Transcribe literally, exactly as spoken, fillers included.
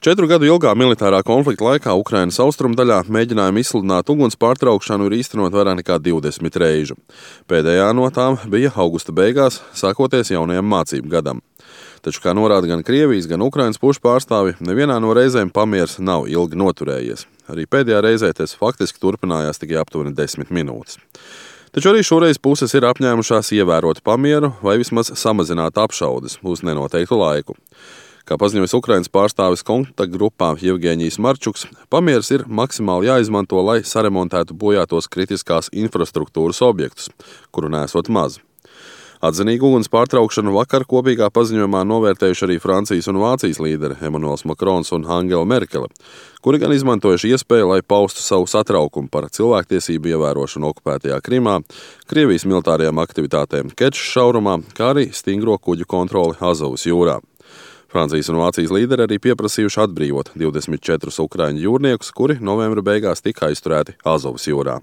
Četru gadu ilgā militārā konflikta laikā Ukrainas austrumdaļā mēģinājumi izsludināt uguns pārtraukšanu ir īstenot vairāk nekā divdesmit reižu. Pēdējā no tām bija augusta beigās, sākoties jaunajam mācību gadam. Taču, kā norāda gan Krievijas, gan Ukrainas pušu pārstāvi, nevienā no reizēm pamiers nav ilgi noturējies. Arī pēdējā reizē tas faktiski turpinājās tikai aptuveni desmit minūtes. Taču arī šoreiz puses ir apņēmušās ievērot pamieru vai vismaz samazināt apšaudes uz nenoteiktu laiku. Kā paziņojas Ukrainas pārstāvis kontaktgrupā Jevgeņijs Marčuks, pamieris ir maksimāli jāizmanto, lai saremontētu bojātos kritiskās infrastruktūras objektus, kuru nesot maz. Atzinīgu uguns pārtraukšanu vakar kopīgā paziņojumā novērtējuši arī Francijas un Vācijas līderi Emanuels Makrons un Angela Merkele, kuri gan izmantojuši iespēju, lai paustu savu satraukumu par cilvēktiesību ievērošanu okupētajā Krimā, Krievijas militārajām aktivitātēm Kečas šaurumā, kā arī stingro kuģu kontroli Azovas jūrā. Francijas un Vācijas līderi arī pieprasījuši atbrīvot divdesmit četrus ukraiņu jūrniekus, kuri novembra beigās tika aizturēti Azovas jūrā.